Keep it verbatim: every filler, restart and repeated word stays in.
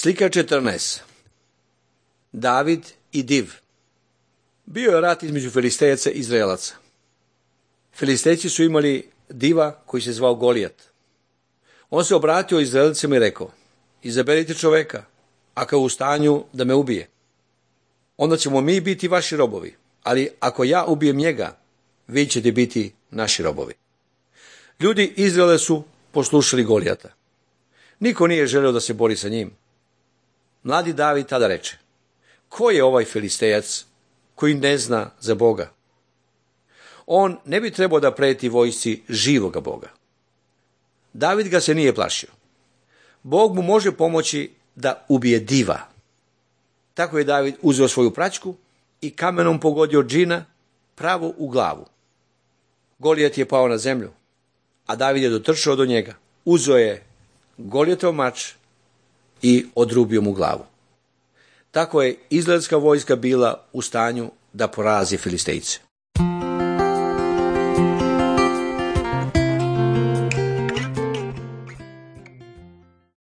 Slika četrnaest. David i div. Bio je rat između Filistejaca i Izraelaca. Filistejci su imali diva koji se zvao Golijat. On se obratio Izraelcima i rekao: izaberite čoveka, ako je u stanju da me ubije. Onda ćemo mi biti vaši robovi, ali ako ja ubijem njega, vi ćete biti naši robovi. Ljudi Izraela su poslušali Golijata. Niko nije želeo da se bori sa njim. Mladi David tada reče: ko je ovaj Filistejac koji ne zna za Boga? On ne bi trebao da preti vojsci živoga Boga. David ga se nije plašio. Bog mu može pomoći da ubije diva. Tako je David uzeo svoju praćku i kamenom pogodio džina pravo u glavu. Golijat je pao na zemlju, a David je dotrčao do njega. Uzeo je Golijatov mač i odrubio mu glavu. Tako je izraelska vojska bila u stanju da porazi Filistejce.